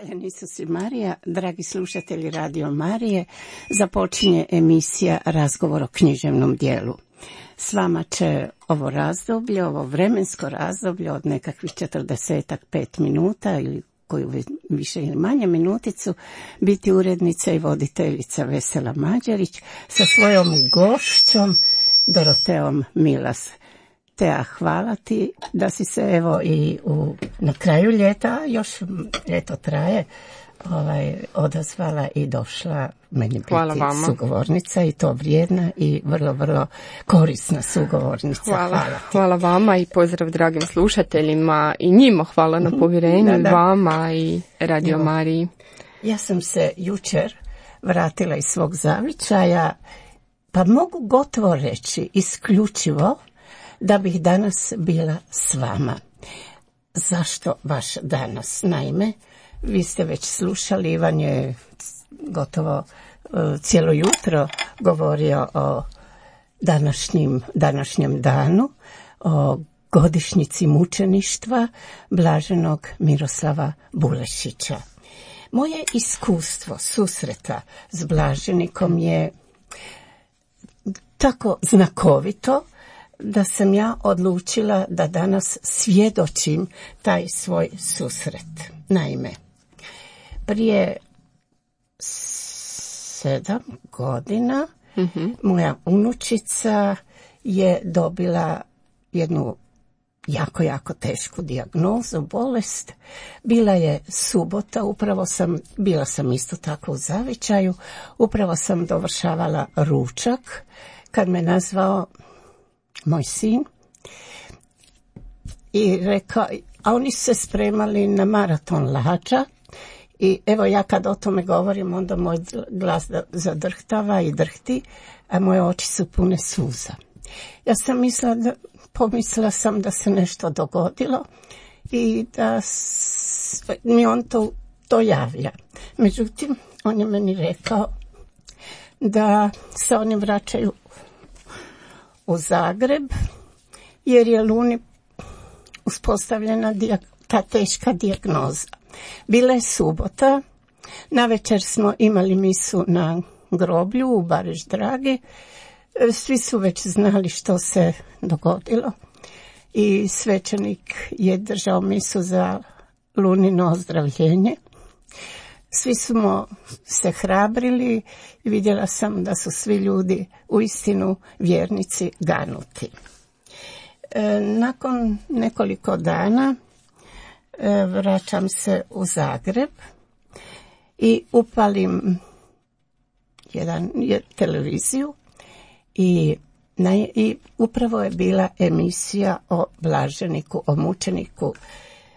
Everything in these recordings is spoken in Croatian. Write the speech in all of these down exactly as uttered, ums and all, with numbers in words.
Hvaljen Isus i Marija, dragi slušatelji Radio Marije, započinje emisija Razgovor o književnom dijelu. S vama će ovo razdoblje, ovo vremensko razdoblje od nekakvih četrdesetak pet minuta ili koju više ili manje minuticu biti urednica i voditeljica Vesela Mađarić sa svojom gošćom Doroteom Milas. Tea, hvala ti da si se evo i u, na kraju ljeta, još ljeto traje, ovaj, odazvala i došla meni biti sugovornica i to vrijedna i vrlo, vrlo korisna sugovornica. Hvala, hvala, hvala vama i pozdrav dragim slušateljima i njima hvala na povjerenju, da, da. Vama i Radio evo, Mariji. Ja sam se jučer vratila iz svog zavičaja, pa mogu gotovo reći isključivo da bih danas bila s vama. Zašto baš danas? Naime, vi ste već slušali, Ivan je gotovo uh, cijelo jutro govorio o današnjim, današnjem danu, o godišnjici mučeništva blaženog Miroslava Bulešića. Moje iskustvo susreta s blaženikom je tako znakovito da sam ja odlučila da danas svjedočim taj svoj susret. Naime, prije sedam godina mm-hmm. moja unučica je dobila jednu jako, jako tešku dijagnozu, bolest. Bila je subota, upravo sam, bila sam isto tako u zavičaju, upravo sam dovršavala ručak kad me nazvao moj sin i rekao, a oni se spremali na maraton lađa i evo ja kad o tome govorim onda moj glas zadrhtava i drhti, a moje oči su pune suza. Ja sam mislila da, pomislila sam da se nešto dogodilo i da s, mi on to, to javlja. Međutim, on je meni rekao da se oni vraćaju u Zagreb, jer je Luni uspostavljena dijag, ta teška dijagnoza. Bila je subota, navečer smo imali misu na groblju u Bariš Dragi, svi su već znali što se dogodilo i svećenik je držao misu za Lunino ozdravljenje. Svi smo se hrabrili i vidjela sam da su svi ljudi uistinu vjernici ganuti. E, nakon nekoliko dana e, vraćam se u Zagreb i upalim jedan, jedan televiziju i, na, i upravo je bila emisija o blaženiku, o mučeniku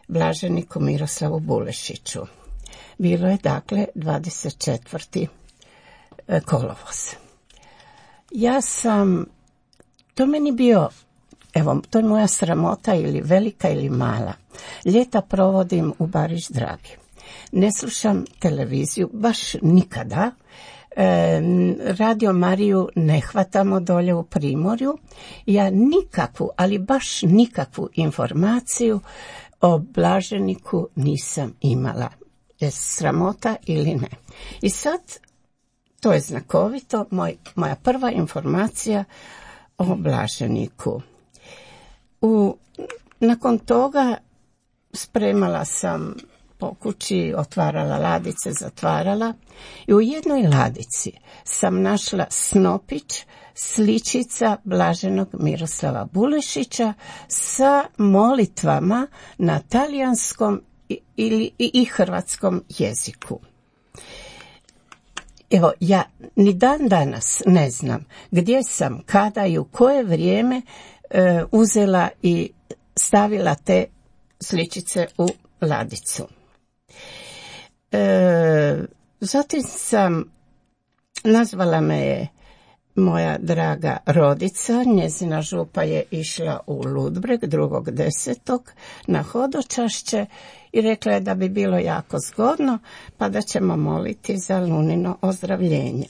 blaženiku Miroslavu Bulešiću. Bilo je dakle dvadeset četvrti kolovoz. Ja sam, to meni bio, evo, to je moja sramota ili velika ili mala. Ljeta provodim u Bariš Dragi. Ne slušam televiziju, baš nikada. E, Radio Mariju ne hvatamo dolje u Primorju. Ja nikakvu, ali baš nikakvu informaciju o blaženiku nisam imala. Je sramota ili ne. I sad, to je znakovito, moj, moja prva informacija o blaženiku. U, nakon toga spremala sam po kući, otvarala ladice, zatvarala i u jednoj ladici sam našla snopić, sličica blaženog Miroslava Bulešića sa molitvama na talijanskom ili i hrvatskom jeziku. Evo, ja ni dan danas ne znam gdje sam, kada i u koje vrijeme e, uzela i stavila te sličice u ladicu. E, zatim sam, nazvala me je moja draga rodica, njezina župa je išla u Ludbreg drugog desetog na hodočašće i rekla je da bi bilo jako zgodno, pa da ćemo moliti za Lunino ozdravljenje.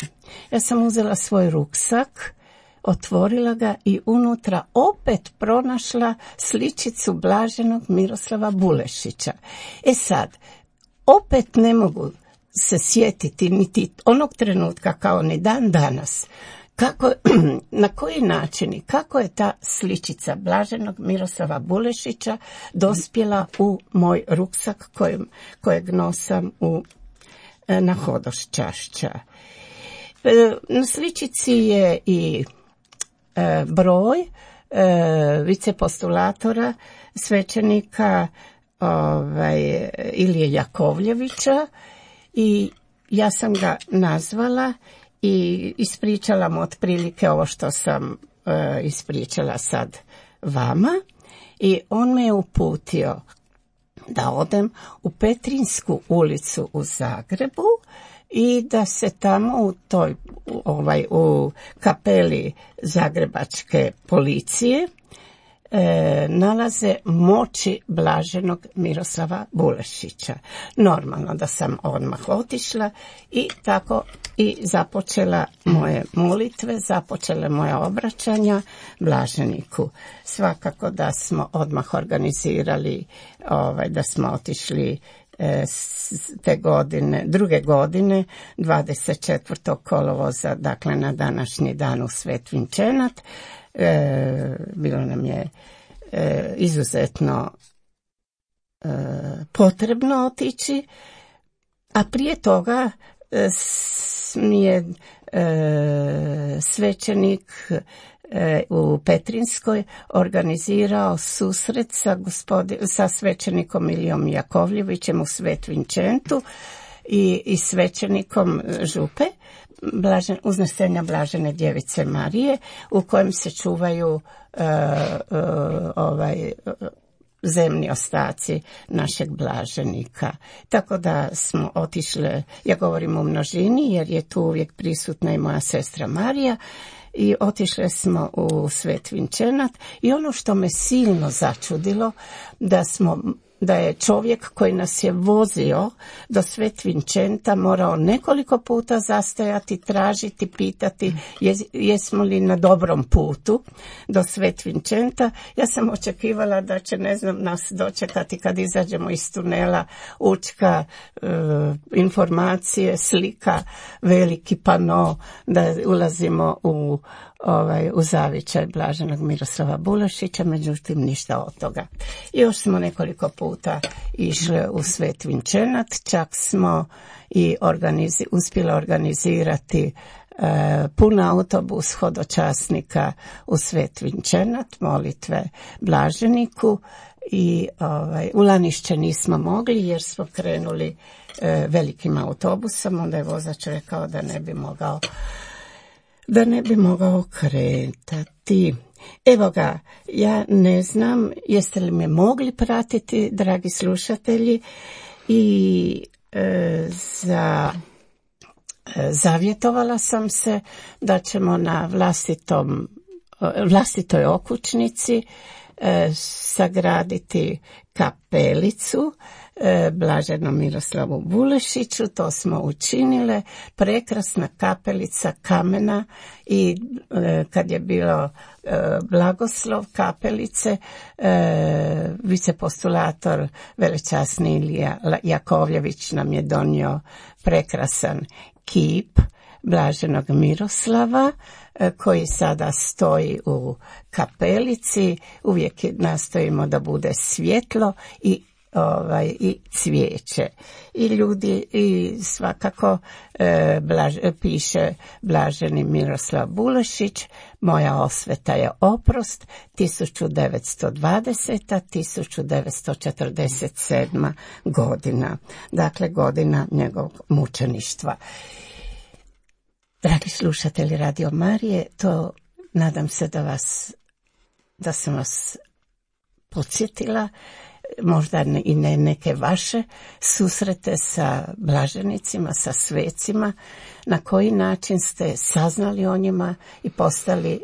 Ja sam uzela svoj ruksak, otvorila ga i unutra opet pronašla sličicu blaženog Miroslava Bulešića. E sad, opet ne mogu se sjetiti niti onog trenutka kao ni dan danas kako, na koji način i kako je ta sličica blaženog Miroslava Bulešića dospjela u moj ruksak kojeg, kojeg nosam u, na Hodošćašća. Na sličici je i e, broj e, vicepostulatora svećenika ovaj, Ilije Jakovljevića i ja sam ga nazvala i ispričala mu otprilike ovo što sam e, ispričala sad vama i on me je uputio da odem u Petrinsku ulicu u Zagrebu i da se tamo u toj ovaj u kapeli zagrebačke policije e, nalaze moći blaženog Miroslava Bulešića. Normalno da sam odmah otišla i tako i započela moje molitve, započele moje obraćanja blaženiku. Svakako da smo odmah organizirali, ovaj, da smo otišli te godine, druge godine, dvadeset četvrtog kolovoza, dakle na današnji dan u Svet Vinčenat. E, bilo nam je e, izuzetno e, potrebno otići, a prije toga e, mi je e, svećenik u Petrinskoj organizirao susret sa, gospodin, sa svećenikom Ilijom Jakovljevićem u Svet Vinčentu i, i svećenikom župe Blažen, uznesenja Blažene Djevice Marije u kojem se čuvaju uh, uh, ovaj zemni ostaci našeg blaženika. Tako da smo otišle, ja govorim u množini jer je tu uvijek prisutna i moja sestra Marija, i otišle smo u Svet Vinčenat i ono što me silno začudilo da smo da je čovjek koji nas je vozio do Svet Vinčenta morao nekoliko puta zastajati, tražiti, pitati jes, jesmo li na dobrom putu do Svet Vinčenta. Ja sam očekivala da će, ne znam, nas dočekati kad izađemo iz tunela Učka, e, informacije, slika, veliki pano, da ulazimo u Ovaj, u zavičaj blaženog Miroslava Bulešića, međutim ništa od toga. I još smo nekoliko puta išli u Svet Vinčenat, čak smo i organizi, uspjeli organizirati e, pun autobus hodočasnika u Svet Vinčenat, molitve blaženiku i ovaj, u Lanišće nismo mogli jer smo krenuli e, velikim autobusom, onda je vozač rekao da ne bi mogao da ne bi mogao kretati. Evo ga, ja ne znam jeste li me mogli pratiti, dragi slušatelji, i e, za, e, zavjetovala sam se da ćemo na vlastitom, vlastitoj okućnici e, sagraditi kapelicu e, blaženom Miroslavu Bulešiću. To smo učinile, prekrasna kapelica kamena i e, kad je bilo e, blagoslov kapelice, e, vicepostulator velečasni Ilija Jakovljević nam je donio prekrasan kip blaženog Miroslava koji sada stoji u kapelici. Uvijek nastojimo da bude svjetlo i ovaj i cvijeće. I ljudi i svakako e, blaž, piše blaženi Miroslav Bulešić, moja osveta je oprost, tisuću devetsto dvadeseta do tisuću devetsto četrdeset sedma godina. Dakle, godina njegovog mučeništva. Dragi slušatelji Radio Marije, to nadam se da vas, da sam vas podsjetila, možda i ne neke vaše susrete sa blaženicima, sa svecima, na koji način ste saznali o njima i postali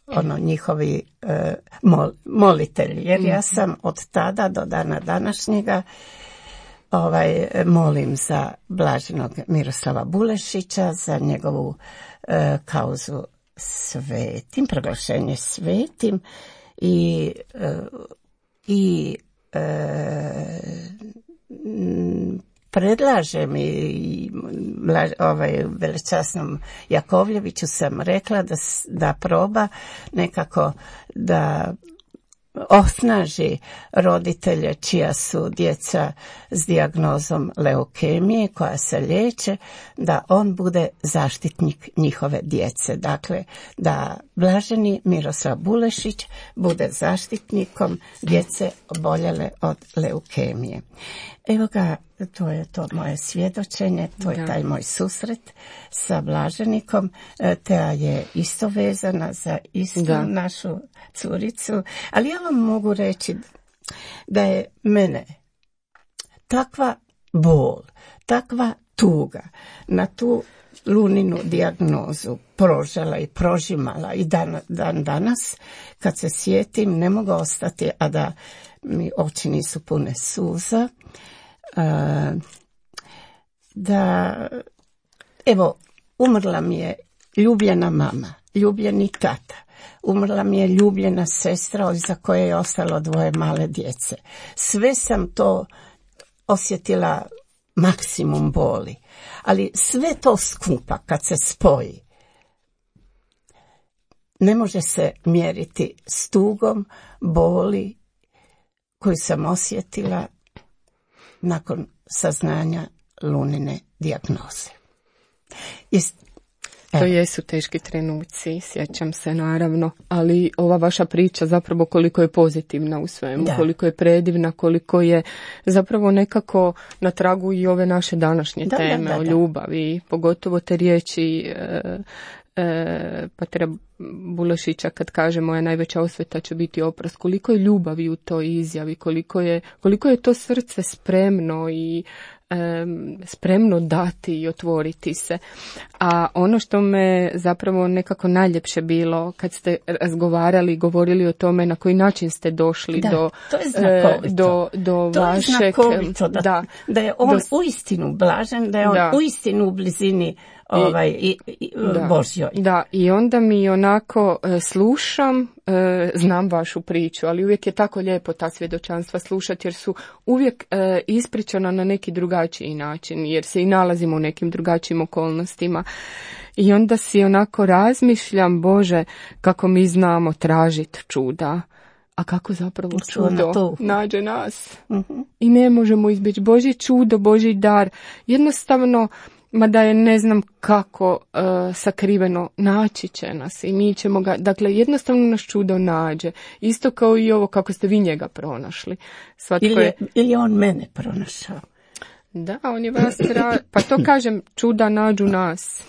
ono njihovi e, mol, molitelji. Jer ja sam od tada do dana današnjega Ovaj, molim za blaženog Miroslava Bulešića, za njegovu e, kauzu svetim, proglašenje svetim i, e, i e, predlažem i ovaj, velečasnom Jakovljeviću sam rekla da, da proba nekako da osnaži roditelje čija su djeca s dijagnozom leukemije koja se liječe, da on bude zaštitnik njihove djece. Dakle, da blaženi Miroslav Bulešić bude zaštitnikom djece oboljele od leukemije. Evo ga, to je to moje svjedočenje, to je taj moj susret sa blaženikom. Teja je isto vezana za istu da. našu curicu, ali ja vam mogu reći da je mene takva bol, takva tuga na tu Luninu dijagnozu prožela i prožimala i dan, dan danas, kad se sjetim, ne mogu ostati, a da mi oči nisu pune suza. Uh, da, evo, umrla mi je ljubljena mama, ljubljeni tata, umrla mi je ljubljena sestra za koje je ostalo dvoje male djece. Sve sam to osjetila maksimum boli, ali sve to skupa kad se spoji ne može se mjeriti s tugom boli koju sam osjetila nakon saznanja Lunine dijagnoze. Jest, to jesu teški trenuci, sjećam se naravno, ali ova vaša priča zapravo koliko je pozitivna u svemu, da. koliko je predivna, koliko je zapravo nekako na tragu i ove naše današnje da, teme da, da, da. o ljubavi, pogotovo te riječi e, e, Patera Bulešića kad kaže moja najveća osveta će biti oprost, koliko je ljubavi u toj izjavi, koliko je, koliko je to srce spremno i spremno dati i otvoriti se. A ono što me zapravo nekako najljepše bilo kad ste razgovarali i govorili o tome na koji način ste došli da, do to je znakovito. do, do to vašeg... je znakovito da, da, da je on do, uistinu blažen, da je on da. uistinu u blizini ovaj, i, i, da, Božjoj. Da, i onda mi onako e, slušam, e, znam vašu priču, ali uvijek je tako lijepo ta svjedočanstva slušati jer su uvijek e, ispričana na neki drugačiji način, jer se i nalazimo u nekim drugačijim okolnostima. I onda si onako razmišljam, Bože, kako mi znamo tražiti čuda, a kako zapravo čudo nađe nas. Uh-huh. I ne možemo izbjeći Božje čudo, Božji dar. Jednostavno, mada je ne znam kako uh, sakriveno, naći će nas i mi ćemo ga, dakle jednostavno nas čudo nađe. Isto kao i ovo kako ste vi njega pronašli. Svatko ili, je, je, ili on mene pronašao. Da, on je vas tra... pa to kažem, čuda nađu nas.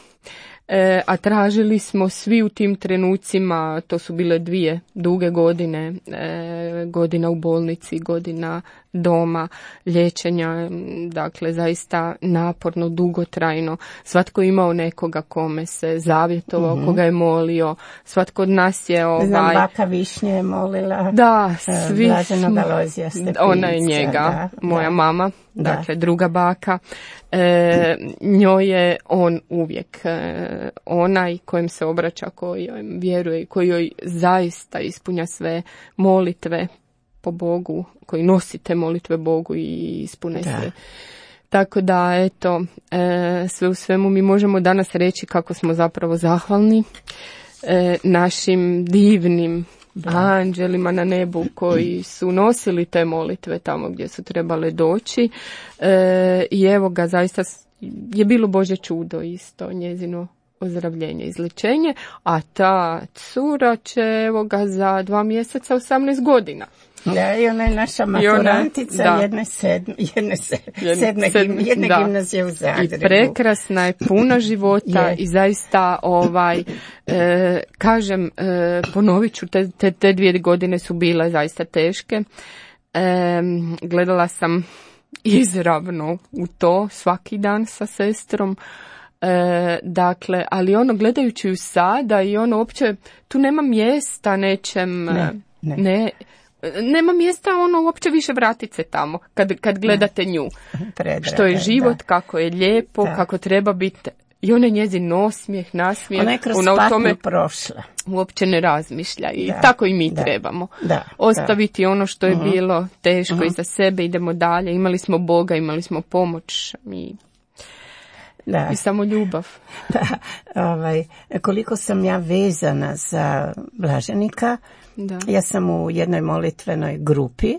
E, a tražili smo svi u tim trenucima, to su bile dvije duge godine, e, godina u bolnici, godina doma, liječenja, dakle zaista naporno, dugotrajno. Svatko je imao nekoga kome se zavjetovao, mm-hmm. koga je molio, svatko od nas je ovaj... Znam, baka Višnje je molila. Da, svi Blaženog Alojzija Stepinca. Ona je njega, da, moja da. mama, dakle da. druga baka. E, njoj je on uvijek e, onaj kojem se obraća, koji joj vjeruje, koji joj zaista ispunja sve molitve po Bogu, koji nosite molitve Bogu i ispune da. sve. Tako da, eto, e, sve u svemu mi možemo danas reći kako smo zapravo zahvalni e, našim divnim da. anđelima na nebu koji su nosili te molitve tamo gdje su trebale doći. E, I evo ga, zaista je bilo Božje čudo isto, njezino ozdravljenje, izlječenje, a ta cura će evo ga za dva mjeseca osamnaest godina. Da, i ona je naša maturantica ona, jedne, sedm, jedne, se, jedne, sedme, sedme, jedne gimnazije u Zagrebu. I prekrasna je, puna života je. I zaista ovaj, e, kažem, e, ponovit ću, te, te, te dvije godine su bile zaista teške. E, gledala sam izravno u to svaki dan sa sestrom. E, dakle, ali ono gledajući ju sada i ono uopće, tu nema mjesta nečem, ne, ne. ne nema mjesta ono uopće više vratit se tamo kad, kad gledate nju. Predraga, što je život, da. kako je lijepo, da. kako treba biti I ona je njezin osmijeh, nasmijeh. Ona je kroz ona patnju o tome prošla. Uopće ne razmišlja i da, tako i mi da, trebamo. Da, ostaviti da. ono što je uh-huh. bilo teško uh-huh. iza sebe, idemo dalje. Imali smo Boga, imali smo pomoć i, da. i samo ljubav. Da, ovaj, koliko sam ja vezana za blaženika, da. Ja sam u jednoj molitvenoj grupi,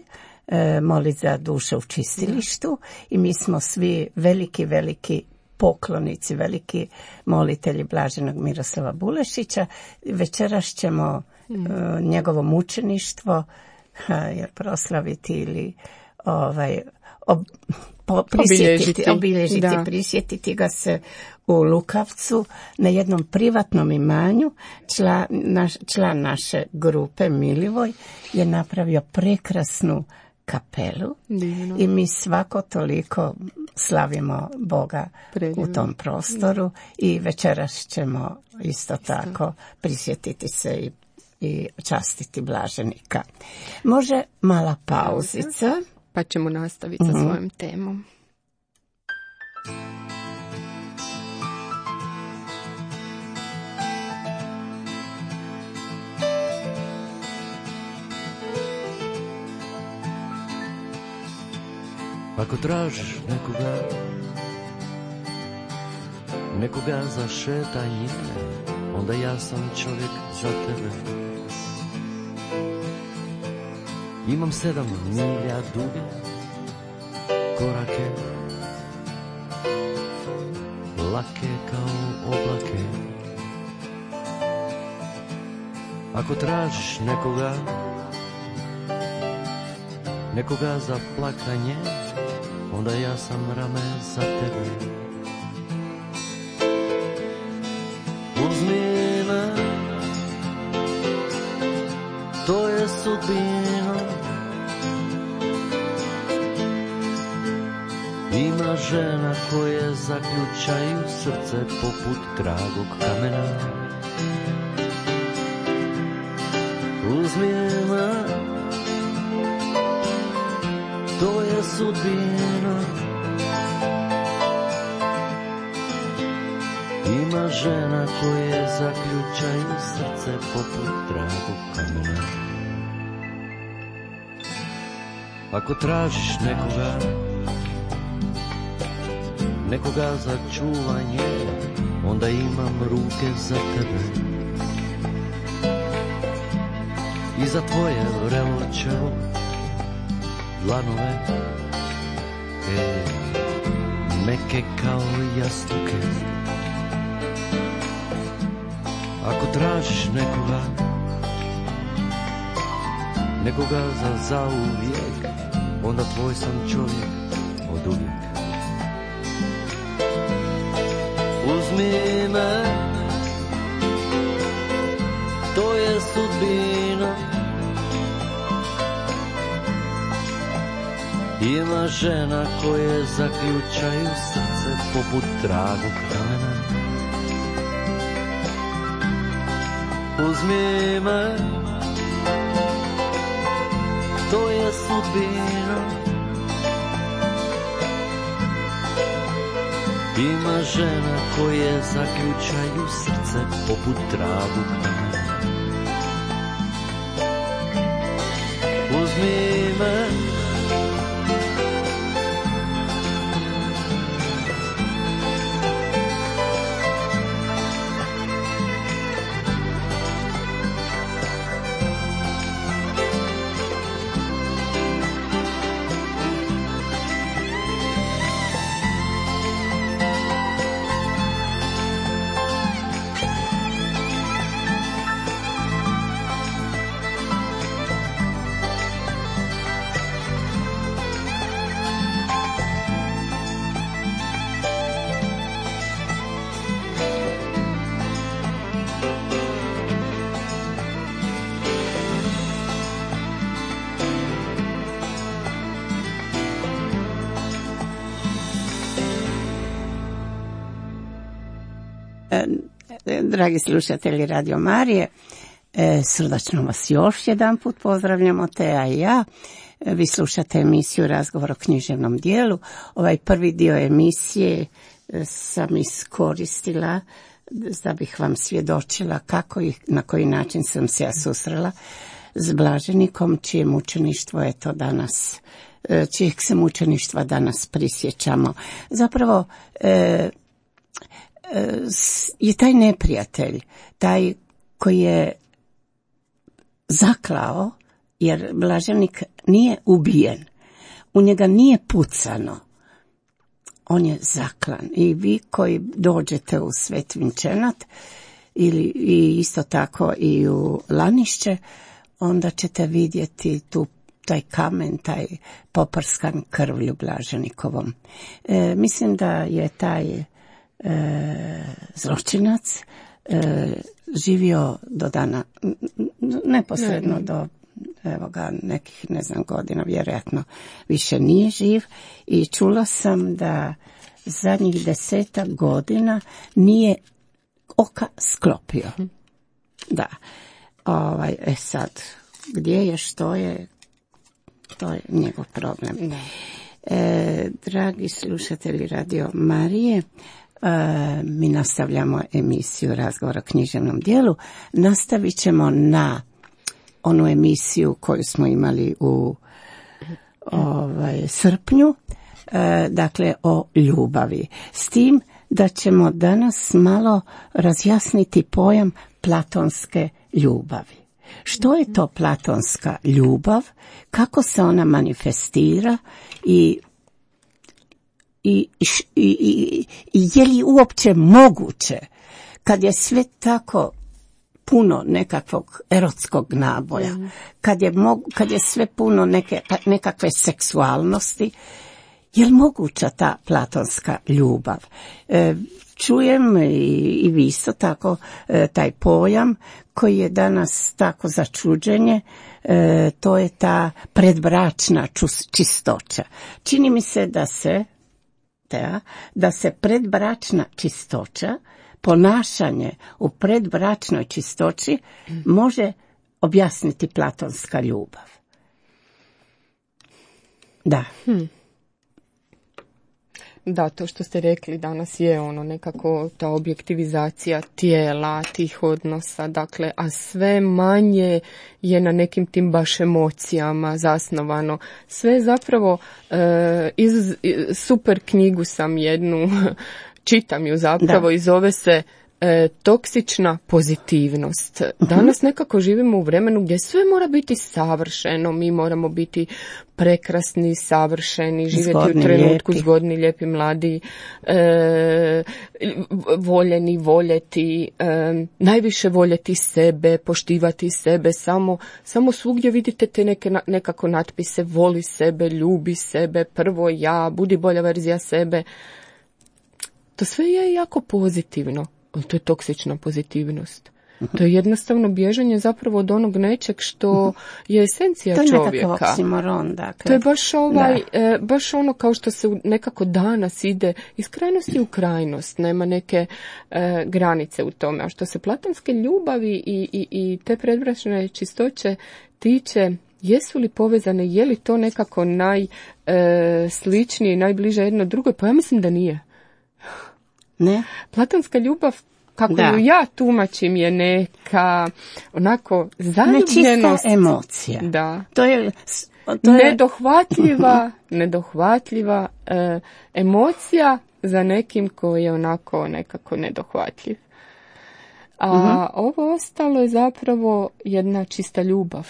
e, molit za duše u čistilištu da. I mi smo svi veliki, veliki poklonici, veliki molitelji blaženog Miroslava Bulešića. Večeras ćemo mm. e, njegovo mučeništvo ha, jer proslaviti ili ovaj, ob, po, prisjetiti, obilježiti, obilježiti prisjetiti ga se u Lukavcu na jednom privatnom imanju. Član, naš, član naše grupe Milivoj je napravio prekrasnu kapelu. Divno. I mi svako toliko slavimo Boga Predivno. U tom prostoru i večeras ćemo isto, isto. tako prisjetiti se i, i častiti blaženika. Može mala pauzica. Pa ćemo nastaviti mm-hmm. sa svojom temom. Ako tražiš nekoga, nekoga za šetanje, onda ja sam čovjek za tebe. Imam sedam milja duge korake, lake kao oblake. Ako tražiš nekoga, nekoga za plakanje, onda ja sam rame za tebe. Uzmi me, to je sudbina. Ima žena koje zaključaju srce poput dragog kamena. Uzmi me, to je sudbina. Ima žena koje zaključaju srce poput dragog kamena. Ako tražiš nekoga, nekoga za čuvanje, onda imam ruke za tebe. I za tvoje vrelo čelo, dlanove, e, meke kao jastuke. Ako tražiš nekoga, nekoga za zauvijek, onda tvoj sam čovjek od uvijek. Uzmi me, to je sudbina. Ima žena koje zaključaju srce poput dragog kamena. Uzmi me, to je sudbina. Ima žena koje zaključaju srce poput dragog kamena. Uzmi me, dragi slušatelji Radio Marije, srdačno vas još jedan put pozdravljamo, Teja i ja. Vi slušate emisiju Razgovor o književnom dijelu. Ovaj prvi dio emisije sam iskoristila da bih vam svjedočila kako i na koji način sam se ja susrela s blaženikom, čije mučeništvo je to danas, čijeg se mučeništva danas prisjećamo. Zapravo e, e, je taj neprijatelj, taj koji je zaklao, jer blaženik nije ubijen, u njega nije pucano, on je zaklan. I vi koji dođete u Svet Vinčenat ili i isto tako i u Lanišće, onda ćete vidjeti tu taj kamen, taj poprskan krvlju blaženikovom. E, mislim da je taj e, zločinac e, živio do dana, neposredno ne, ne. do evo ga, nekih, ne znam, godina, vjerojatno više nije živ, i čula sam da zadnjih desetak godina nije oka sklopio. Da. Ovaj, e sad, gdje je, što je, to je njegov problem. E, dragi slušatelji Radio Marije, e, mi nastavljamo emisiju Razgovor o književnom dijelu. Nastavit ćemo na onu emisiju koju smo imali u ovaj, srpnju, e, dakle o ljubavi. S tim da ćemo danas malo razjasniti pojam platonske ljubavi. Što je to platonska ljubav, kako se ona manifestira i, i, i, i, i je li uopće moguće kad je sve tako puno nekakvog erotskog naboja, mm. kad, je mog, kad je sve puno neke, nekakve seksualnosti, je li moguća ta platonska ljubav? E, čujem i, i vi isto tako e, taj pojam koji je danas tako začuđenje, e, to je ta predbračna čus, čistoća. Čini mi se da se, da, da se predbračna čistoća, ponašanje u predbračnoj čistoći može objasniti platonska ljubav. Da. Hmm. Da, to što ste rekli danas je ono nekako ta objektivizacija tijela, tih odnosa, dakle, a sve manje je na nekim tim baš emocijama zasnovano. Sve zapravo, e, iz, super knjigu sam jednu, čitam ju zapravo, da. I zove se E, toksična pozitivnost. Danas nekako živimo u vremenu gdje sve mora biti savršeno, mi moramo biti prekrasni, savršeni, živjeti zgodni, u trenutku, lijepi. Zgodni, lijepi, mladi, e, voljeni, voljeti, e, najviše voljeti sebe, poštivati sebe, samo, samo svugdje vidite te neke, nekako natpise, voli sebe, ljubi sebe, prvo ja, budi bolja verzija sebe. To sve je jako pozitivno. To je toksična pozitivnost. To je jednostavno bježanje zapravo od onog nečeg što je esencija čovjeka. To je nekakav oksimoron, dakle. To je baš, ovaj, e, baš ono kao što se nekako danas ide iz krajnosti u krajnost. Nema neke e, granice u tome. A što se platonske ljubavi i, i, i te predbračne čistoće tiče, jesu li povezane, je li to nekako najsličnije i najbliže jedno drugoj? Pa ja mislim da nije. Ne. Platonska ljubav, kako da. ju ja tumačim, je neka onako zaljubljenost. Nečista emocija. Da. To je, to je... nedohvatljiva, nedohvatljiva e, emocija za nekim koji je onako nekako nedohvatljiv. A uh-huh. ovo ostalo je zapravo jedna čista ljubav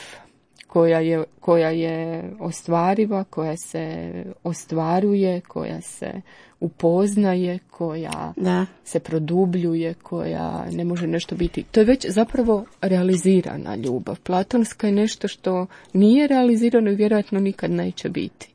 koja je, koja je ostvariva, koja se ostvaruje, koja se upoznaje, koja da. se produbljuje, koja ne može nešto biti. To je već zapravo realizirana ljubav. Platonska je nešto što nije realizirano i vjerojatno nikad neće biti.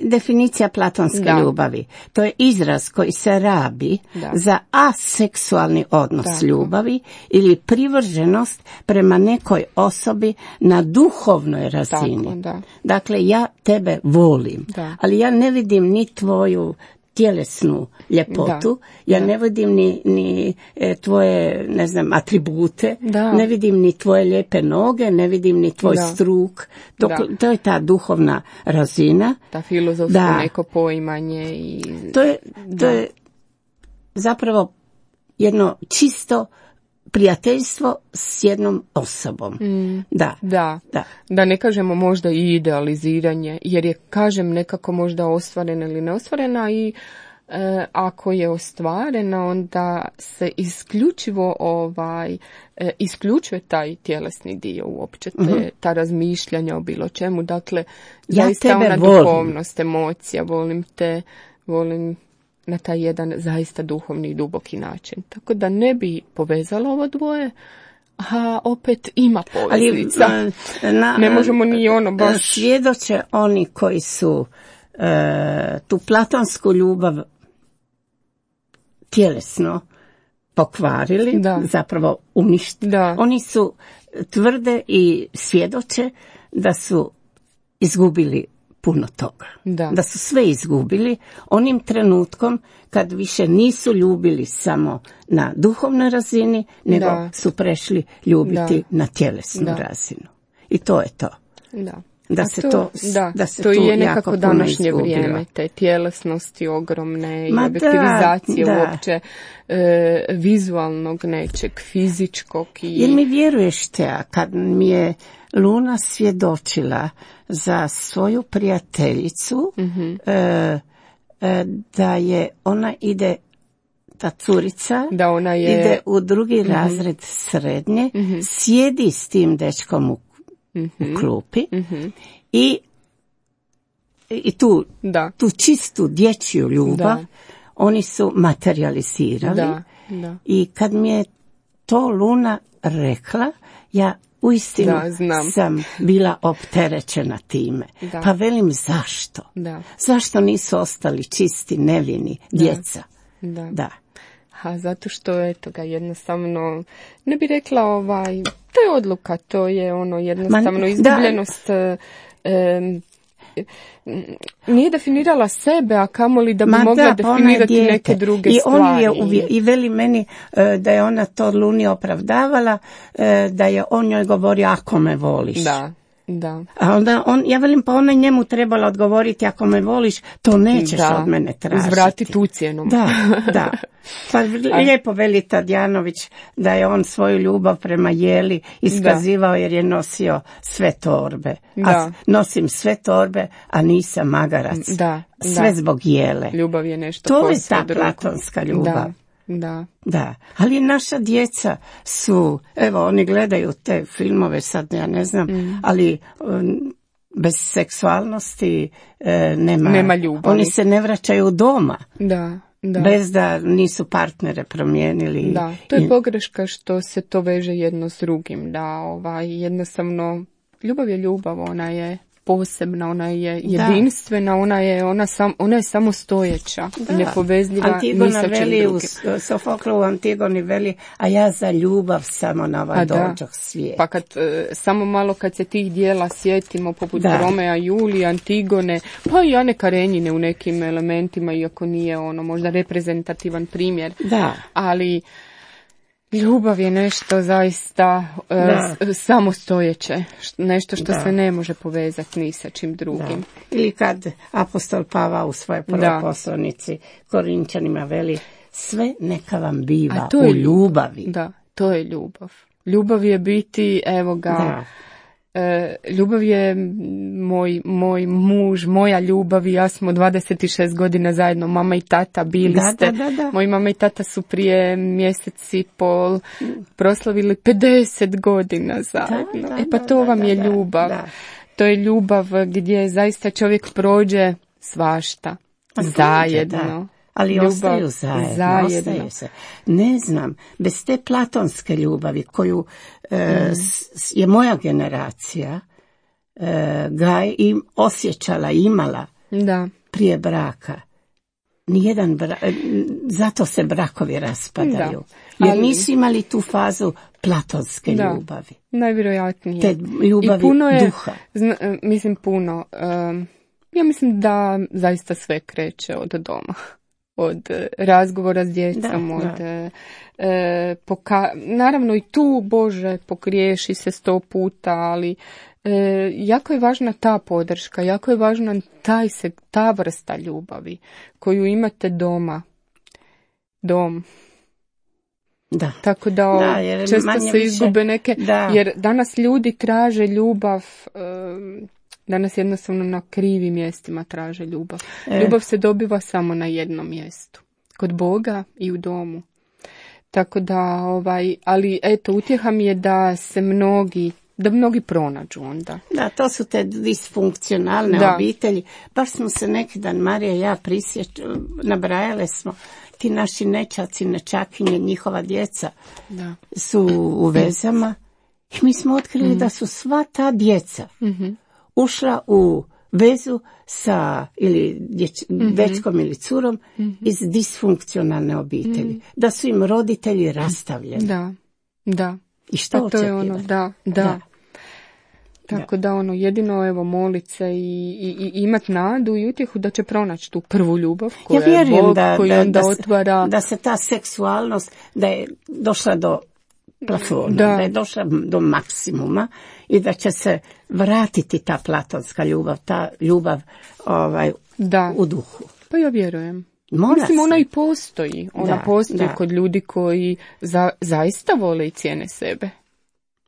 Definicija platonske da. ljubavi. To je izraz koji se rabi da. za aseksualni odnos Tako. ljubavi ili privrženost prema nekoj osobi na duhovnoj razini. Tako, da. Dakle, ja tebe volim, da. ali ja ne vidim ni tvoju tjelesnu ljepotu, da, ja da. ne vidim ni, ni e, tvoje, ne znam, atribute, da. ne vidim ni tvoje lijepe noge, ne vidim ni tvoj da. struk. Dok, to je ta duhovna razina. Ta filozofsko da. neko poimanje. I... To je, to je zapravo jedno čisto prijateljstvo s jednom osobom. Mm, da, da, da. Da ne kažemo možda i idealiziranje, jer je, kažem, nekako možda ostvarena ili neostvarena i e, ako je ostvarena, onda se isključivo ovaj, e, isključuje taj tjelesni dio uopće, te, mm-hmm. ta razmišljanja o bilo čemu. Dakle, ja zaista ona volim. Duhovnost, emocija, volim te, volim na taj jedan zaista duhovni i duboki način. Tako da ne bi povezalo ovo dvoje, a opet ima poveznica. Ali, na, ne možemo ni ono baš... Svjedoče oni koji su e, tu platonsku ljubav tjelesno pokvarili, da. zapravo uništili. Da. Oni su tvrde i svjedoče da su izgubili puno toga. Da. da su sve izgubili onim trenutkom kad više nisu ljubili samo na duhovnoj razini, nego da. su prešli ljubiti da. na tjelesnu da. razinu. I to je to. Da. Da se to, to, da, da se to tu je nekako današnje izgubilo. Vrijeme, te tjelesnosti ogromne i objektivizacije da, da. uopće e, vizualnog nečeg, fizičkog. I... Jer mi vjeruješ te, a kad mi je Luna svjedočila za svoju prijateljicu, mm-hmm. e, e, da je ona ide, ta curica, da ona je... ide u drugi mm-hmm. razred srednje, mm-hmm. sjedi s tim dečkom u Mm-hmm. u klupi mm-hmm. i, i tu, da. tu čistu dječju ljubav da. oni su materializirali da, da. i kad mi je to Luna rekla, ja uistinu da, sam bila opterećena time. Da. Pa velim zašto? Da. Zašto nisu ostali čisti, nevini, djeca? Da. da. da. A zato što eto ga jednostavno, ne bi rekla ovaj, to je odluka, to je ono jednostavno Man, izgubljenost, da. e, nije definirala sebe, a kamoli da bi Ma mogla da, definirati neke druge I stvari. On je uvje, I veli meni e, da je ona to Luni opravdavala, e, da je on njoj govorio ako me voliš. Da. Da. A onda on, ja velim, pa ona njemu trebala odgovoriti ako me voliš, to nećeš da. od mene tražiti. Uzvrati tu cijenu. Da, da. Pa lijepo veli Tadjanović da je on svoju ljubav prema Jeli iskazivao da. jer je nosio sve torbe. Da. A nosim sve torbe, a nisam magarac. Da. Sve da. zbog Jele. Ljubav je nešto to posve je ta drugo. platonska ljubav. Da. Da. Da, ali naša djeca su, evo, oni gledaju te filmove, sad ja ne znam, mm. ali um, bez seksualnosti e, nema, nema ljubavi. Oni se ne vraćaju doma. Da, da. Bez da nisu partnere promijenili. Da, to je pogreška što se to veže jedno s drugim, da ovaj, jednostavno, ljubav je ljubav, ona je posebna, ona je jedinstvena, da. ona je ona sam ona je samostojeća, nepovezljiva Antigona ni sa čim veli drugim. U Sofoklu u Antigoni veli, a ja za ljubav samo na ovaj dođoh svijet. Pa kad e, samo malo kad se tih dijela sjetimo, poput da. Romea, Julije, Antigone, pa i Ane Karenjine u nekim elementima, iako nije ono možda reprezentativan primjer, da. ali ljubav je nešto zaista uh, samostojeće, nešto što da. se ne može povezati ni sa čim drugim. Da. Ili kad apostol Pavao u svojoj prvoj poslanici Korinčanima veli, sve neka vam biva u ljubavi. Da, to je ljubav. Ljubav je biti, evo ga, da. E, ljubav je moj, moj muž, moja ljubav i ja smo dvadeset šest godina zajedno, mama i tata bili da, ste. Da, da, da. Moji mama i tata su prije mjesec i pol proslavili pedeset godina zajedno. Da, da, e pa to da, vam da, je da, ljubav. Da. To je ljubav gdje zaista čovjek prođe svašta. A zajedno. Da. Ali ljubav, ostaju zajedno, zajedno. Ostaju se. Ne znam, bez te platonske ljubavi koju e, mm. s, je moja generacija e, ga i osjećala, imala da. prije braka. Nijedan bra, zato se brakovi raspadaju. Da. Jer ali, nisu imali tu fazu platonske da. ljubavi. Najvjerojatnije. Te ljubavi I puno je, duha. Zna, mislim puno. Um, ja mislim da zaista sve kreće od doma. Od razgovora s djecom, da, od da. E, poka- naravno i tu, Bože, pogriješi se sto puta, ali e, jako je važna ta podrška, jako je važna taj se, ta vrsta ljubavi koju imate doma. dom. Da. Tako da, da jer često se više, izgube neke, da. jer danas ljudi traže ljubav, um, danas jednostavno na krivim mjestima traže ljubav. E. Ljubav se dobiva samo na jednom mjestu, kod Boga i u domu. Tako da, ovaj, ali eto, utjeha mi je da se mnogi, da mnogi pronađu onda. Da, to su te disfunkcionalne da. obitelji. Baš smo se neki dan, Marija i ja, prisjeć, nabrajale smo, ti naši nečaci, nečakinje, njihova djeca da. su u vezama i mi smo otkrili mm-hmm. da su sva ta djeca mm-hmm. ušla u vezu sa ili dječ, mm-hmm. dečkom ili curom mm-hmm. iz disfunkcionalne obitelji. Mm-hmm. Da su im roditelji rastavljeni. Da, da. I što to je ono, da, da. da. Tako da. da ono, jedino evo molit se i, i, i imat nadu i utjehu da će pronaći tu prvu ljubav koja ja je Bog, da, koji da, onda da otvara. Se, da se ta seksualnost, da je došla do plafona, da. da je došla do maksimuma i da će se vratiti ta platonska ljubav, ta ljubav ovaj, da. u duhu. Pa ja vjerujem. Mora Mislim, se. ona i postoji. Ona da, postoji da. kod ljudi koji za, zaista vole i cijene sebe.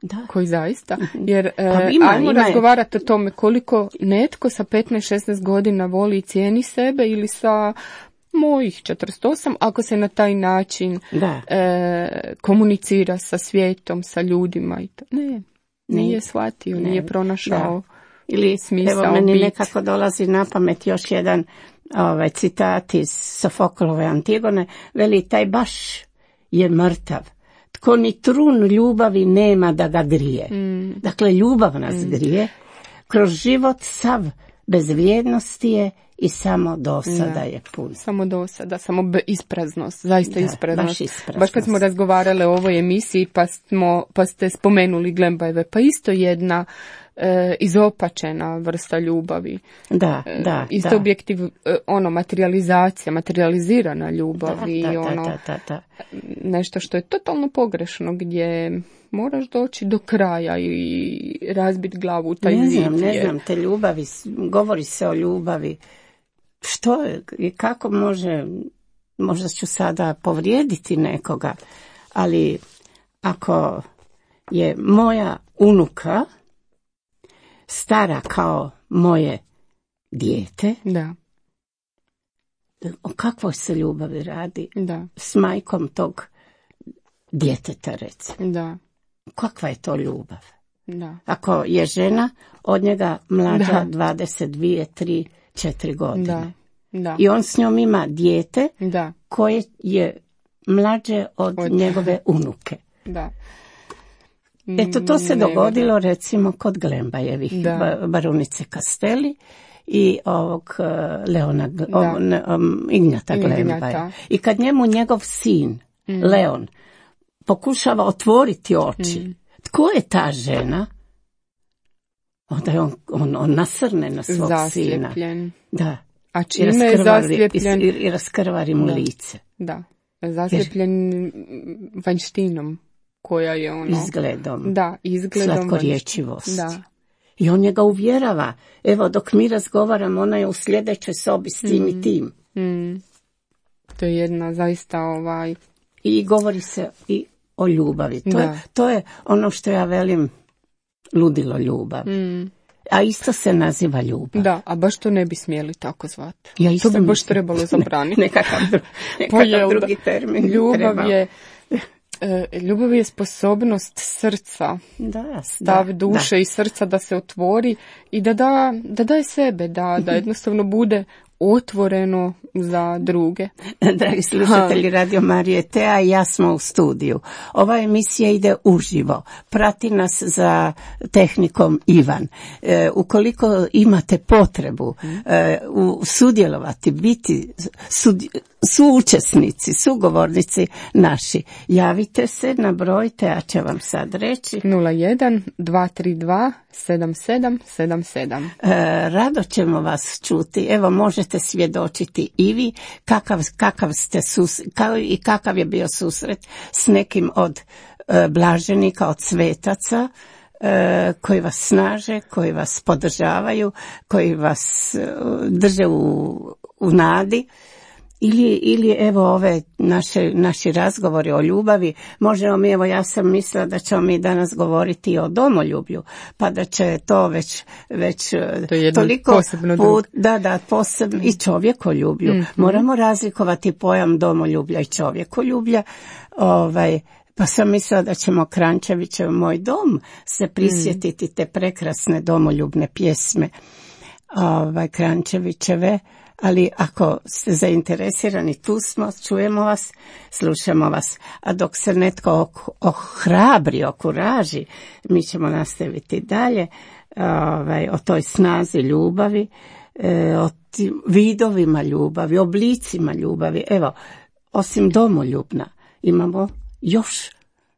Da. Koji zaista. Jer pa ima, ajmo ima razgovarati o tome koliko netko sa petnaest šesnaest godina voli i cijeni sebe ili sa mojih četrdeset osam, ako se na taj način e, komunicira sa svijetom, sa ljudima. I to. Ne, nije shvatio, ne. nije pronašao da. ili smisao evo, meni bit. nekako dolazi na pamet još jedan ovaj, citat iz Sofoklove Antigone, veli taj baš je mrtav. Tko ni trun ljubavi nema da ga grije. Mm. Dakle, ljubav nas mm. grije. Kroz život sav bez vrijednosti je i samo dosada da. je pun. Samo dosada, samo be, ispraznost, zaista da, ispraznost. Baš ispraznost. Baš kad smo razgovarali o ovoj emisiji pa, smo, pa ste spomenuli Glembajeve, pa isto jedna e, izopačena vrsta ljubavi. Da, e, da. Isto da. objektiv, e, ono, materializacija, materializirana ljubav da, i da, ono, da, da, da. nešto što je totalno pogrešno, gdje moraš doći do kraja i razbiti glavu u taj ne zid. Znam, ne znam, te ljubavi, govori se o ljubavi. Što je i kako može, možda ću sada povrijediti nekoga, ali ako je moja unuka stara kao moje dijete, da. o kakvoj se ljubavi radi da. s majkom tog djeteta, recimo. Da. Kakva je to ljubav? Da. Ako je žena od njega mlađa da. dvadeset dvije, tri, četiri godine. Da. Da. I on s njom ima dijete da. koje je mlađe od, od njegove unuke. Da. Eto, to se ne, dogodilo da. recimo kod Glembajevih, ba, barunice Castelli i ovog uh, Leona, o, ne, um, Ignjata Glembaja. I kad njemu njegov sin, mm. Leon, pokušava otvoriti oči, mm. tko je ta žena? Onda je on, on, on nasrne na svog Zaslijepljen. sina. Da. A čime je zaslijepljen? I, i raskrvari mu da. lice. Da, zaslijepljen Jer... vanjštinom koja je ono... Izgledom. Da, izgledom. Slatkorječivost. Da. I on njega uvjerava. Evo, dok mi razgovaramo, ona je u sljedećoj sobi s tim mm. i tim. Mm. To je jedna zaista ovaj... I govori se i o ljubavi. To, je, to je ono što ja velim ludilo ljubav. Mm. A isto se naziva ljubav. Da, a baš to ne bi smjeli tako zvati. Ja to bi baš trebalo zabraniti. Ne, nekakav, dru, nekakav drugi termin. Ljubav je, e, ljubav je sposobnost srca, da, stav da, duše da. i srca da se otvori i da da, da daje sebe, da, da jednostavno bude otvoreno za druge. Dragi slušatelji Radio Marije Tea i ja smo u studiju. Ova emisija ide uživo. Prati nas za tehnikom Ivan. E, ukoliko imate potrebu e, u, sudjelovati, biti sud, suučesnici, sugovornici naši, javite se na broj, Tea će vam sad reći. nula jedan dva tri dva sedam sedam sedam sedam. E, rado ćemo vas čuti. Evo, možete svjedočiti i vi kakav, kakav ste sus, kao i kakav je bio susret s nekim od e, blaženika, od svetaca e, koji vas snaže, koji vas podržavaju, koji vas e, drže u, u nadi Ili, ili evo ove naše, naši razgovori o ljubavi, možemo mi, evo ja sam mislila da ćemo mi danas govoriti o domoljublju, pa da će to već, već to je toliko put, da, da, posebno i čovjekoljublju. Mm-hmm. Moramo razlikovati pojam domoljublja i čovjekoljublja, ovaj, pa sam mislila da ćemo Kranjčevićev Moj dom se prisjetiti te prekrasne domoljubne pjesme ovaj, Kranjčevićeve. Ali ako ste zainteresirani, tu smo, čujemo vas, slušamo vas. A dok se netko ohrabri, okuraži, mi ćemo nastaviti dalje ovaj, o toj snazi ljubavi, o tim vidovima ljubavi, oblicima ljubavi. Evo, osim domoljubna, imamo još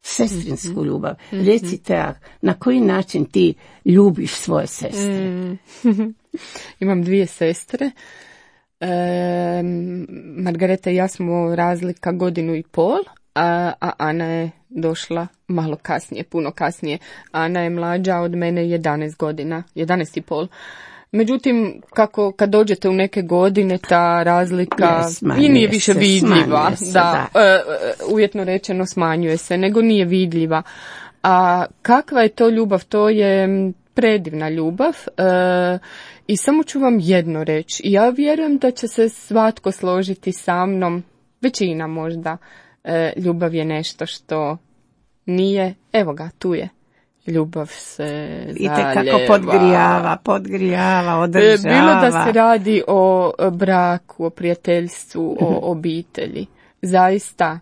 sestrinsku ljubav. Mm-hmm. Recite, na koji način ti ljubiš svoje sestre? Mm. Imam dvije sestre. E, Margareta i ja smo razlika godinu i pol, a, a Ana je došla malo kasnije, puno kasnije. Ana je mlađa od mene jedanaest godina, jedanaest i pol. Međutim, kako kad dođete u neke godine, ta razlika yes, i nije više se, vidljiva. Se, da, da. E, uvjetno rečeno smanjuje se, nego nije vidljiva. A kakva je to ljubav? To je predivna ljubav. E, I samo ću vam jedno reći. Ja vjerujem da će se svatko složiti sa mnom, većina možda, e, ljubav je nešto što nije, evo ga, tu je. Ljubav se zaljeva. I tekako podgrijava, podgrijava, održava. Bilo da se radi o braku, o prijateljstvu, o obitelji. Zaista,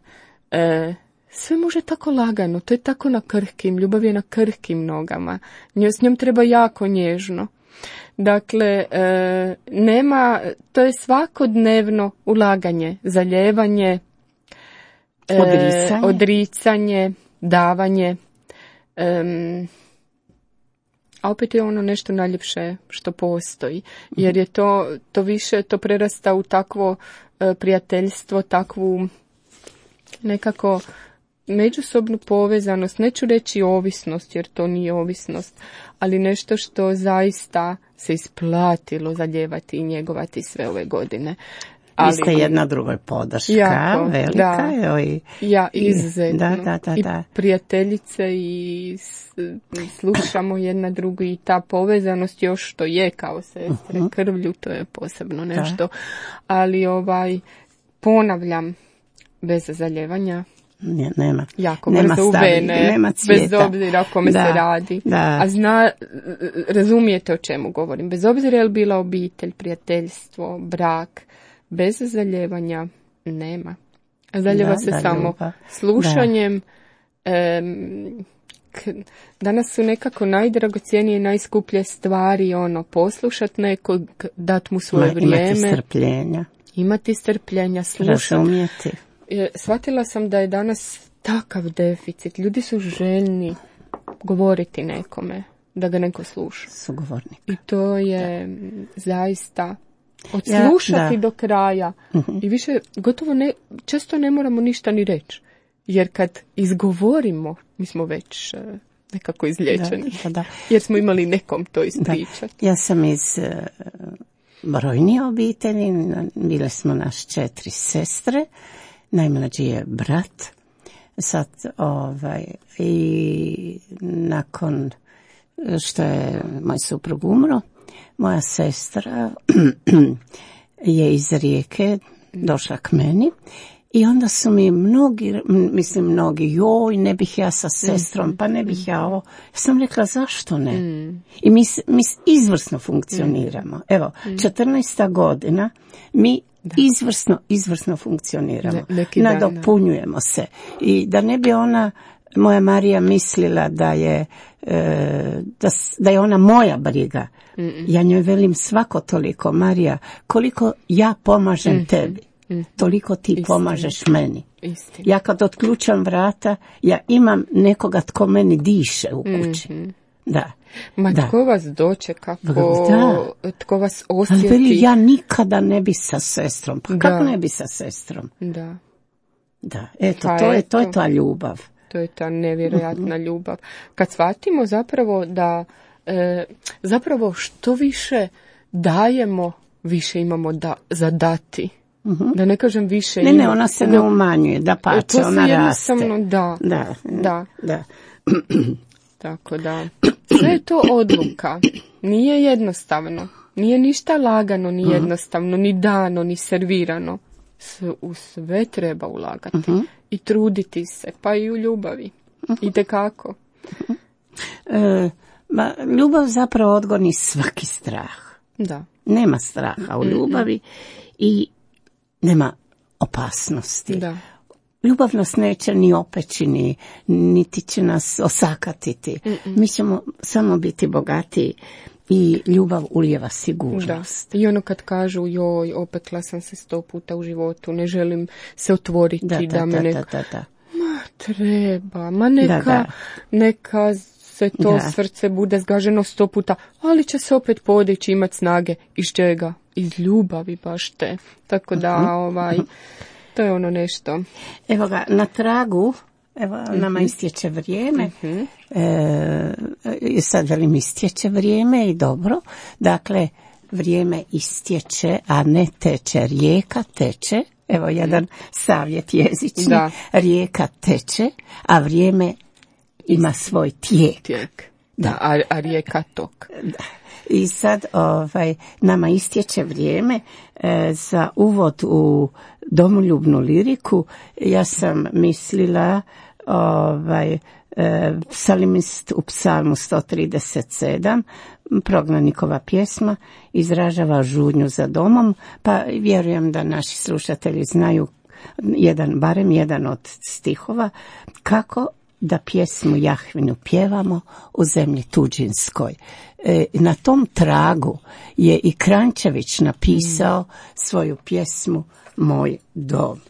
e, sve može tako lagano, to je tako na krhkim, ljubav je na krhkim nogama. S njom treba jako nježno. Dakle, e, nema, to je svakodnevno ulaganje, zaljevanje, e, odricanje. odricanje, davanje, e, a opet je ono nešto najljepše što postoji, jer je to, to više, to prerasta u takvo e, prijateljstvo, takvu nekako međusobnu povezanost, neću reći ovisnost, jer to nije ovisnost, ali nešto što zaista se isplatilo zaljevati i njegovati sve ove godine. Ali, vi ste jedna drugoj podrška, jako, velika. Da, evo i, ja, izuzetno. Da, da, da, da. I prijateljice i slušamo jedna drugu i ta povezanost još što je kao sestre uh-huh. krvlju, to je posebno nešto. Da. Ali ovaj, ponavljam, bez zaljevanja, Ne, nema. Jako nema brzo u vene, nema bez obzira o kome da, se radi. Da. A zna, razumijete o čemu govorim. Bez obzira je li bila obitelj, prijateljstvo, brak, bez zaljevanja nema. Zaljeva da, se da, samo ljubav. Slušanjem. Em, k, danas su nekako najdragocjenije i najskuplje stvari, ono, poslušat nekog, dat mu svoje Ma, vrijeme. Imati strpljenja. Imati strpljenja, slušati. Razumijeti. Shvatila sam da je danas takav deficit. Ljudi su željni govoriti nekome, da ga neko sluša. Sugovornik. I to je da. zaista odslušati ja, do kraja. Uh-huh. I više gotovo ne, često ne moramo ništa ni reći. Jer kad izgovorimo, mi smo već uh, nekako izliječeni. Da, da, da. Jer smo imali nekom to ispričati. Ja sam iz uh, brojnije obitelji. Bile smo naš četiri sestre. Najmlađi je brat, sad ovaj, i nakon što je moj suprug umro, moja sestra je iz Rijeke došla k meni i onda su mi mnogi, mislim mnogi, joj, ne bih ja sa sestrom, pa ne bih ja ovo. Ja sam rekla, zašto ne? I mi, mi izvrsno funkcioniramo. Evo, četrnaesta godina, mi Da. Izvrsno, izvrsno funkcioniramo. Ne, nadopunjujemo se. I da ne bi ona, moja Marija, mislila da je, e, da, da je ona moja briga. Mm-mm. Ja njoj velim svako toliko, Marija, koliko ja pomažem mm-hmm. tebi, mm-hmm. toliko ti Istina. pomažeš meni. Istina. Ja kad otključam vrata, ja imam nekoga tko meni diše u kući. Mm-hmm. Da. Ma da. Tko vas dočeka, kako, tko vas osjeti. Veli, ja nikada ne bi sa sestrom. Pa da. Kako ne bi sa sestrom? Da. Da, eto, pa to, je, to je ta ljubav. To je ta nevjerojatna uh-huh. ljubav. Kad shvatimo zapravo da, e, zapravo što više dajemo, više imamo da, za dati. Uh-huh. Da ne kažem više ne, ima. Ne, ona se ne umanjuje, da pače, ona raste. Da, da, da. da. Tako da, sve je to odluka. Nije jednostavno. Nije ništa lagano, ni jednostavno, ni dano, ni servirano. Sve, u sve treba ulagati. Uh-huh. I truditi se, pa i u ljubavi. Uh-huh. Itekako. Uh-huh. E, ma, ljubav zapravo odgoni svaki strah. Da. Nema straha u ljubavi mm-hmm. i nema opasnosti. Da. Ljubav nas neće ni opeći, ni, niti će nas osakatiti. Mm-mm. Mi ćemo samo biti bogatiji i ljubav ulijeva sigurnost. Da. I ono kad kažu, joj, opekla sam se sto puta u životu, ne želim se otvoriti. Da, da, da, me da, neka... da, da. Ma treba, ma neka, da, da. neka se to da. srce bude zgaženo sto puta, ali će se opet podići, imat snage. Iz čega? Iz ljubavi baš te. Tako da, uh-huh. ovaj, to je ono nešto. Evo ga, na tragu, evo, uh-huh. nama istječe vrijeme. Uh-huh. E, sad velim istječe vrijeme i dobro. Dakle, vrijeme istječe, a ne teče. Rijeka teče. Evo jedan savjet jezični. Da. Rijeka teče, a vrijeme ima svoj tijek. Tijek. Da, a, a rijeka tok. Da. I sad ovaj, nama istječe vrijeme e, za uvod u domoljubnu liriku. Ja sam mislila ovaj, e, psalimist u psalmu sto trideset sedam, prognanikova pjesma, izražava žudnju za domom, pa vjerujem da naši slušatelji znaju jedan, barem jedan od stihova, kako da pjesmu Jahvinu pjevamo u zemlji tuđinskoj. E, na tom tragu je i Kranjčević napisao svoju pjesmu Moj dom.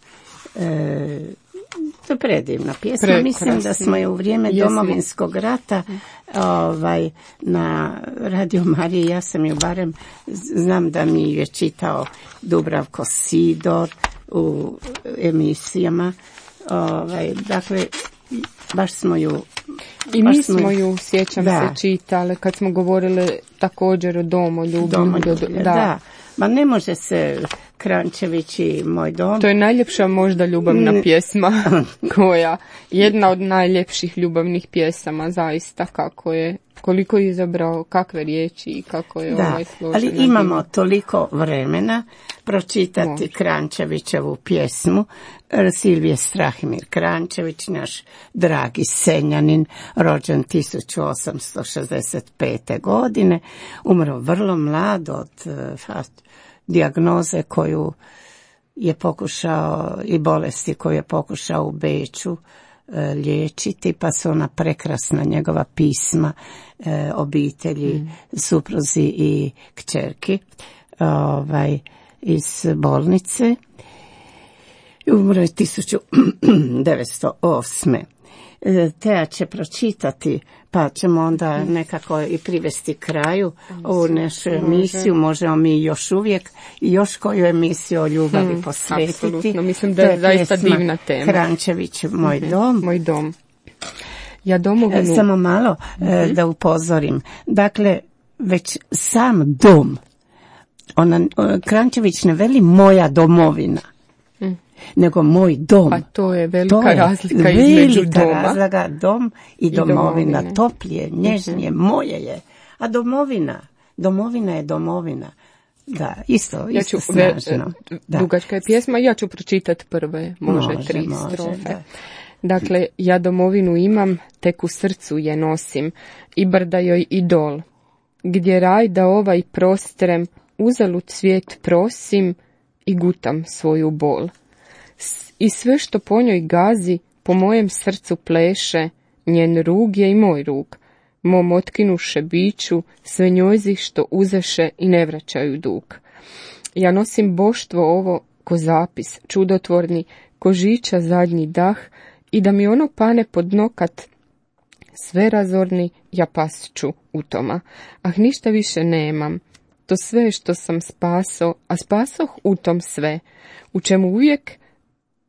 E, to je predivna pjesma. Prekrasno. Mislim da smo je u vrijeme Jesmo. Domovinskog rata ovaj, na Radio Mariji, ja sam ju barem, znam da mi je čitao Dubravko Sidor u emisijama. Ovaj, dakle, baš smo ju... I mi smo, smo ju, sjećam da. se, čitali kad smo govorili također o domoljublju. Domoljublju, da. da. Ma ne može se Kranjčević i Moj dom. To je najljepša možda ljubavna N... pjesma koja, jedna od najljepših ljubavnih pjesama, zaista, kako je, koliko je izabrao, kakve riječi i kako je da, ovaj složena. Ali imamo bila. Toliko vremena pročitati Može. Kranjčevićevu pjesmu. Silvije Strahimir Kranjčević, naš dragi Senjanin, rođen tisuću osamsto šezdeset pete. godine, umro vrlo mlad od uh, dijagnoze koju je pokušao i bolesti koju je pokušao u Beču uh, liječiti, pa su ona prekrasna njegova pisma uh, obitelji, mm. supruzi i kćerki ovaj, iz bolnice. Umro je tisuću devetsto osme. Teja će pročitati, pa ćemo onda nekako i privesti kraju ovu našu emisiju. Možemo mi još uvijek još koju emisiju o ljubavi hmm, posvetiti. Apsolutno, mislim da je, je zaista divna tema. Kranjčević, Moj mm-hmm. dom. Moj dom. Ja domovinu... Samo malo mm-hmm. da upozorim. Dakle, već sam dom, ona, Kranjčević ne veli moja domovina, nego moj dom. Pa to je velika to je razlika između velika doma. razlika, dom i, I domovina. domovine. Toplije, nježnije, uh-huh. moje je. A domovina, domovina je domovina. Da, isto, ja isto ću, snažno. Ve, dugačka je pjesma, ja ću pročitati prve, može, može tri može, strofe. Da. Dakle, ja domovinu imam, tek u srcu je nosim, i brda joj i dol. Gdje raj da ovaj prostrem, uzalud svijet prosim i gutam svoju bol. I sve što po njoj gazi, po mojem srcu pleše, njen rug je i moj rug. Mom otkinuše biću, sve njojzi što uzeše i ne vraćaju dug. Ja nosim boštvo ovo ko zapis, čudotvorni, ko žiča zadnji dah, i da mi ono pane pod nokat, sve razorni, ja pasću u toma. Ah, ništa više nemam, to sve što sam spaso, a spasoh u tom sve, u čemu uvijek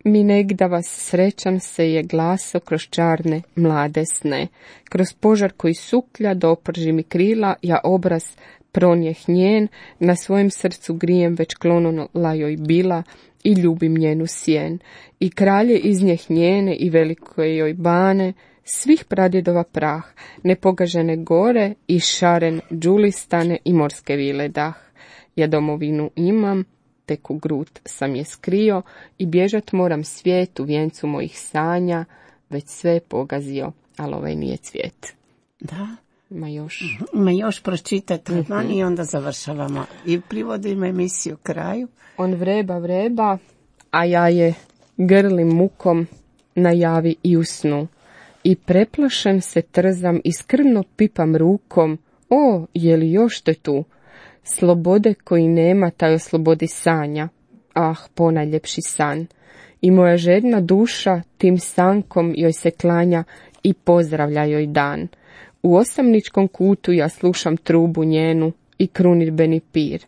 mi negda vas srećan se je glaso kroz čarne mlade sne. Kroz požar koji suklja do oprži mi krila, ja obraz pronjeh njen, na svojem srcu grijem već klonula joj bila, i ljubim njenu sjen, i kralje iz njeh njene i velike joj bane, svih pradjedova prah, nepogažene gore i šaren džulistane i morske vile dah. Ja domovinu imam, tek u grud sam je skrio i bježat moram svijet u vijencu mojih sanja, već sve je pogazio, ali ovaj nije cvijet. Da. Ima još. Ima još, pročitajte mm-hmm. i onda završavamo. I privodimo emisiju kraju. On vreba, vreba, a ja je grlim mukom na javi i u snu. I preplašen se trzam i skrbno pipam rukom, o, je li još te tu? Slobode koji nema, taj o slobodi sanja. Ah, ponajljepši san. I moja žedna duša tim sankom joj se klanja i pozdravlja joj dan. U osamničkom kutu ja slušam trubu njenu i krunirbeni pir.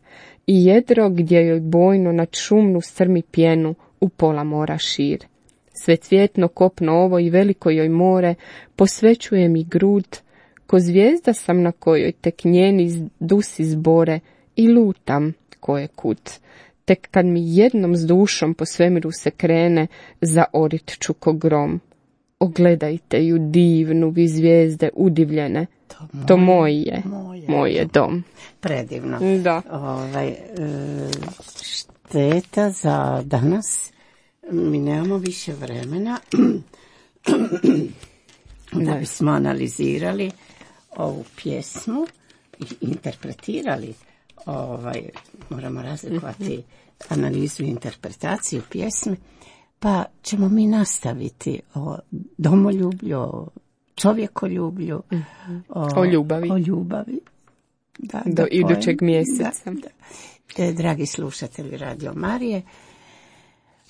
I jedro gdje joj bojno nad šumnu strmi pjenu u pola mora šir. Sve cvjetno kopno ovo i veliko joj more posvećuje mi grud, ko zvijezda sam na kojoj tek njeni dusi zbore i lutam koje kud. Tek kad mi jednom s dušom po svemiru se krene, zaorit ću ko grom. Ogledajte ju divnu, vi zvijezde udivljene, to, moje, to moj je, moje, moj je dom. Predivno. Da. Ovaj, e, šteta za danas, mi nemamo više vremena da bismo analizirali ovu pjesmu i interpretirali. Ovaj, moramo razlikovati analizu i interpretaciju pjesme, pa ćemo mi nastaviti o domoljublju, o čovjekoljublju, o, o ljubavi. O ljubavi. Da, do idućeg mjeseca. Da, da. E, dragi slušatelji Radio Marije,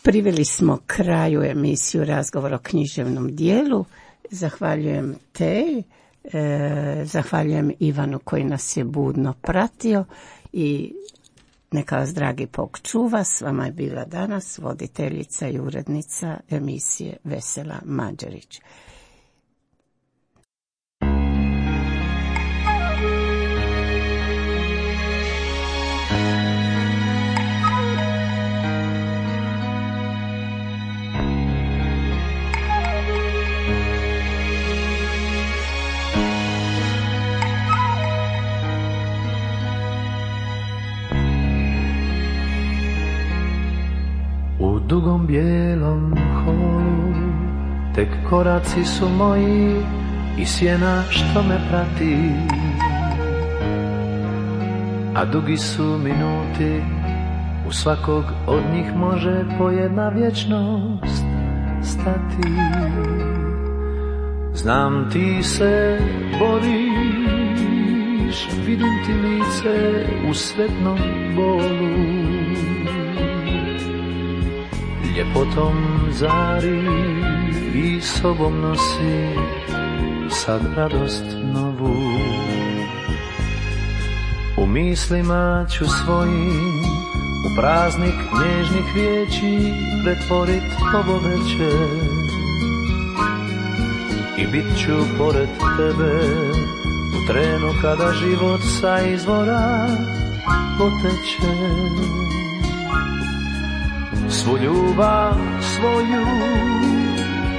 priveli smo kraju emisiju Razgovor o književnom dijelu. Zahvaljujem te, e, zahvaljujem Ivanu koji nas je budno pratio i neka vas dragi Bog čuva. S vama je bila danas voditeljica i urednica emisije Vesela Mađerić. U dugom bijelom holu tek koraci su moji i sjena što me prati, a dugi su minuti, u svakog od njih može po jedna vječnost stati. Znam ti se boriš, vidim ti lice u sretnom bolu, ljepotom zari i sobom nosi sad radost novu. U mislima ću svojim u praznik nježnih riječi pretvorit ovo večer i bit ću pored tebe u trenu kada život sa izvora poteče. Svu ljubav svoju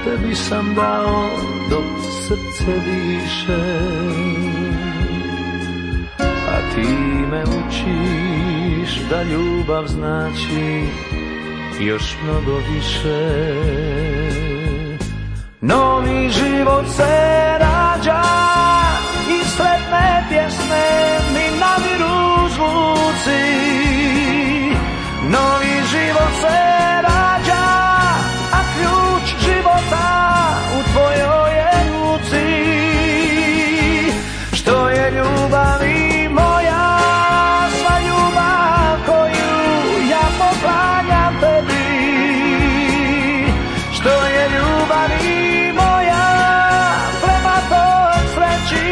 tebi sam dao dok srce diše, a ti me učiš da ljubav znači još mnogo više. Novi život se rađa i sretne pjesme mi nadiru zvuci. Novi život se rađa, a ključ života u tvojoj je ruci. Što je ljubavi moja, sva ljubav koju ja poklanjam tebi. Što je ljubavi moja, prema toj sreći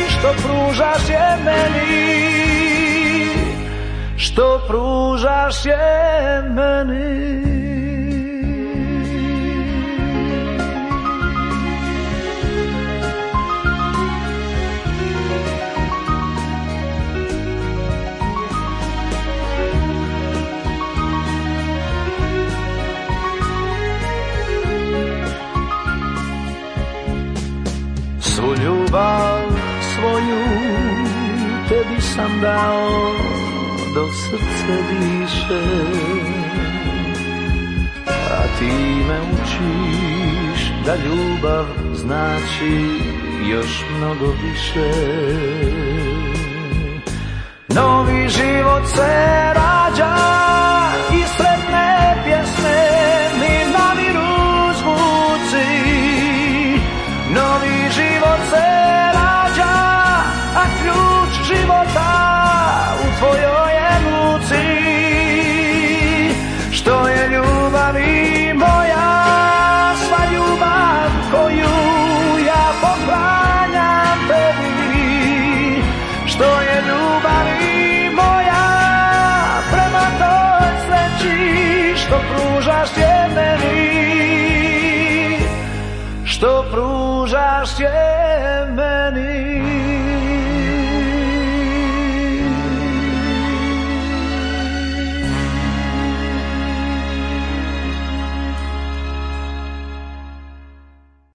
što pružaš je meni. Što pružaš je meni. tebi sam dao dok srce diše, a ti me učiš da ljubav znači još mnogo više. Novi život se rađa i sretne pjesme mi namiru zvuci. Novi život se rađa, a ključ života u tvojoj je ruci. Što je ljubavi moja, sva ljubav koju ja poklanjam tebi. Što je ljubavi moja prema toj sreći što pružaš je meni, što pružaš je meni.